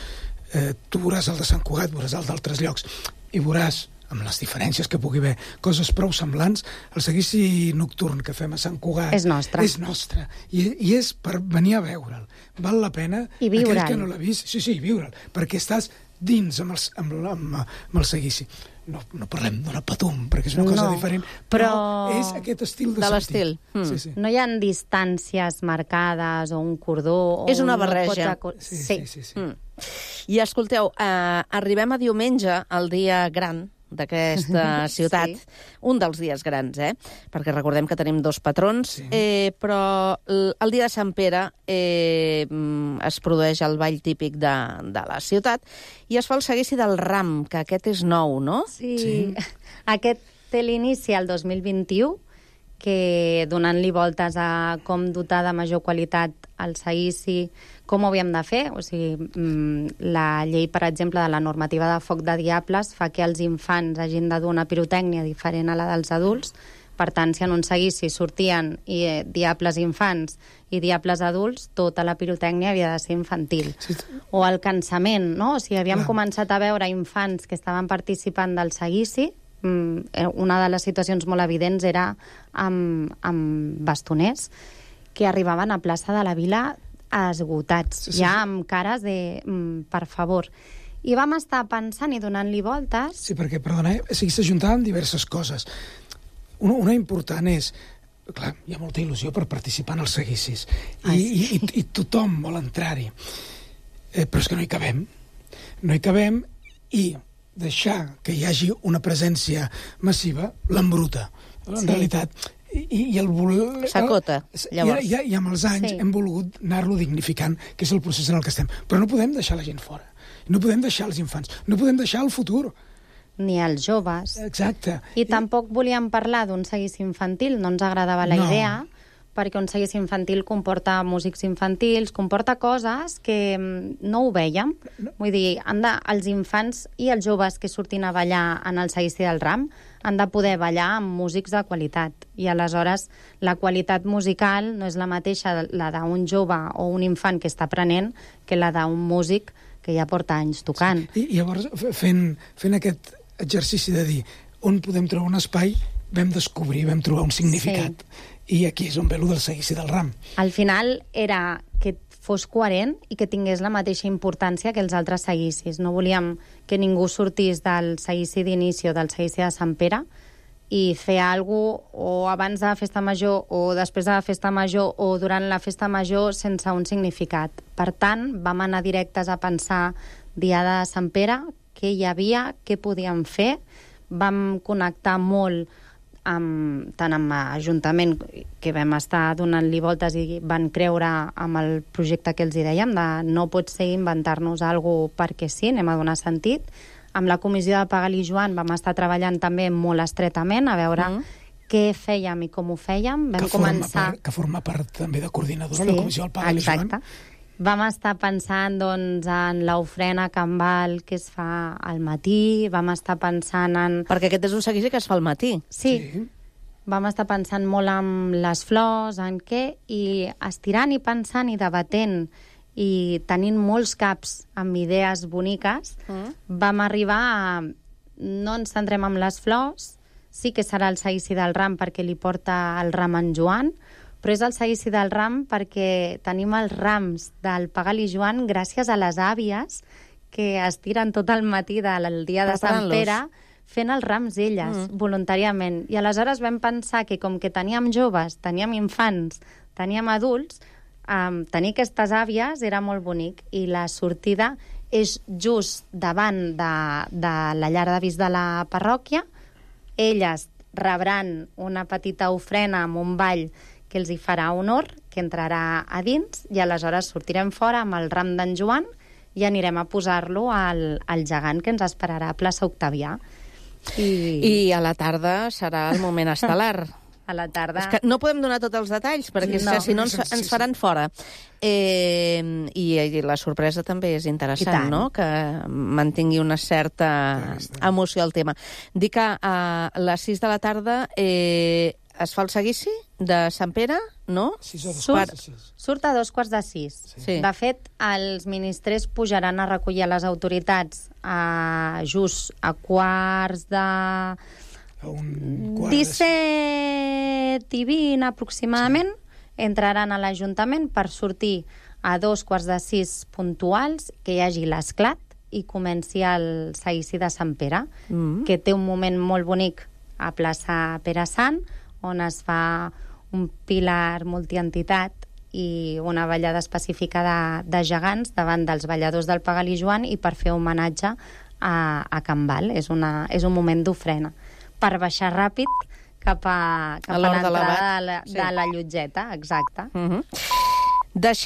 tu veuràs el de Sant Cugat, veuràs el d'altres llocs, i veuràs, amb les diferències que pugui haver, coses prou semblants. El seguici nocturn que fem a Sant Cugat és nostre. És nostre. I és per venir a veure'l. Val la pena, I viure'l. aquell que no l'ha vist, sí, viure'l, perquè estàs dins amb el seguici. No parlem d'una patum, perquè és una cosa diferent, però és aquest estil de l'estil. Sí. No hi ha distàncies marcades o un cordó... És una barreja. Sí. I escolteu, arribem a diumenge, el dia gran d'aquesta ciutat, un dels dies grans, perquè recordem que tenim 2 patrons, però el dia de Sant Pere es produeix el ball típic de la ciutat i es fa el seguici del ram, que aquest és nou, no? Sí. Aquest té l'inici al 2021, que donant-li voltes a com dotar de major qualitat el seguici, com ho havíem de fer. O sigui, la llei, per exemple, de la normativa de foc de diables fa que els infants hagin de dur una pirotècnia diferent a la dels adults. Per tant, si en un seguici sortien diables infants i diables adults, tota la pirotècnia havia de ser infantil. Sí. O el cansament, no? O sigui, havíem començat a veure infants que estaven participant del seguici. Una de les situacions molt evidents era amb bastoners que arribaven a plaça de la Vila esgotats, ja amb cares de per favor. I vam estar pensant i donant-li voltes... Sí, perquè, perdona, s'ajuntaven diverses coses. Una important és... Clar, hi ha molta il·lusió per participar en els seguicis. I tothom vol entrar-hi. Però és que no hi cabem. No hi cabem i deixar que hi hagi una presència massiva l'embruta. En realitat... I el s'acota, llavors. I amb els anys hem volgut anar-lo dignificant, que és el procés en el que estem. Però no podem deixar la gent fora. No podem deixar els infants. No podem deixar el futur. Ni els joves. Exacte. I tampoc volíem parlar d'un seguici infantil, no ens agradava la idea, perquè un seguici infantil comporta músics infantils, comporta coses que no ho vèiem. Vull dir, els infants i els joves que surtin a ballar en el seguici del ram han de poder ballar amb músics de qualitat. I aleshores la qualitat musical no és la mateixa la d'un jove o un infant que està aprenent que la d'un músic que ja porta anys tocant. I llavors, fent aquest exercici de dir on podem trobar un espai, vam descobrir, vam trobar un significat. I aquí és on ve lo del seguici del ram. Al final era que fos coherent i que tingués la mateixa importància que els altres seguicis. No volíem que ningú sortís del seguici d'inici o del seguici de Sant Pere i fer alguna cosa o abans de la festa major o després de la festa major o durant la festa major sense un significat. Per tant, vam anar directes a pensar Diada de Sant Pere, què hi havia, què podíem fer. Vam connectar molt tant amb l'Ajuntament, que vam estar donant-li voltes i van creure amb el projecte que els hi dèiem, de no pot ser inventar-nos alguna cosa perquè sí, anem a donar sentit. Amb la comissió de Pagal i Joan vam estar treballant també molt estretament a veure què fèiem i com ho fèiem. Que forma part també de coordinadora la comissió del Pagal i Joan. Vam estar pensant en l'ofrena Cambal que es fa al matí, vam estar pensant en... Perquè aquest és un seguici que es fa al matí. Sí. Vam estar pensant molt en les flors, en què, i estirant i pensant i debatent i tenint molts caps amb idees boniques, vam arribar a... No ens centrem en les flors, sí que serà el seguici del ram perquè li porta el ram en Joan, però és el seguici del ram perquè tenim els rams del Pagal i Joan gràcies a les àvies que es tiren tot el matí del dia de Sant Pere fent els rams elles, voluntàriament. I aleshores vam pensar que com que teníem joves, teníem infants, teníem adults, tenir aquestes àvies era molt bonic. I la sortida és just davant de la llar d'avis de la parròquia. Elles rebran una petita ofrena amb un ball que els hi farà honor, que entrarà a dins, i aleshores sortirem fora amb el ram d'en Joan i anirem a posar-lo al gegant que ens esperarà a plaça Octavià. I a la tarda serà el moment estel·lar. A la tarda... És que no podem donar tots els detalls, perquè si no ens faran fora. I la sorpresa també és interessant, no?, que mantingui una certa emoció al tema. Dic que a les 6 de la tarda es fa el seguici de Sant Pere, no? Surt a 5:45. Sí. De fet, els ministres pujaran a recollir les autoritats just a 17:20 aproximadament. Entraran a l'Ajuntament per sortir a 5:45 puntuals, que hi hagi l'esclat i comenci el seguici de Sant Pere, que té un moment molt bonic a plaça Pere Sant, on es fa un pilar multientitat i una ballada específica de gegants davant dels balladors del Pagalí Joan i per fer homenatge a Can Val. És un moment d'ofrena. Per baixar ràpid cap a l'entrada de la Llotgeta, exacte. Deixem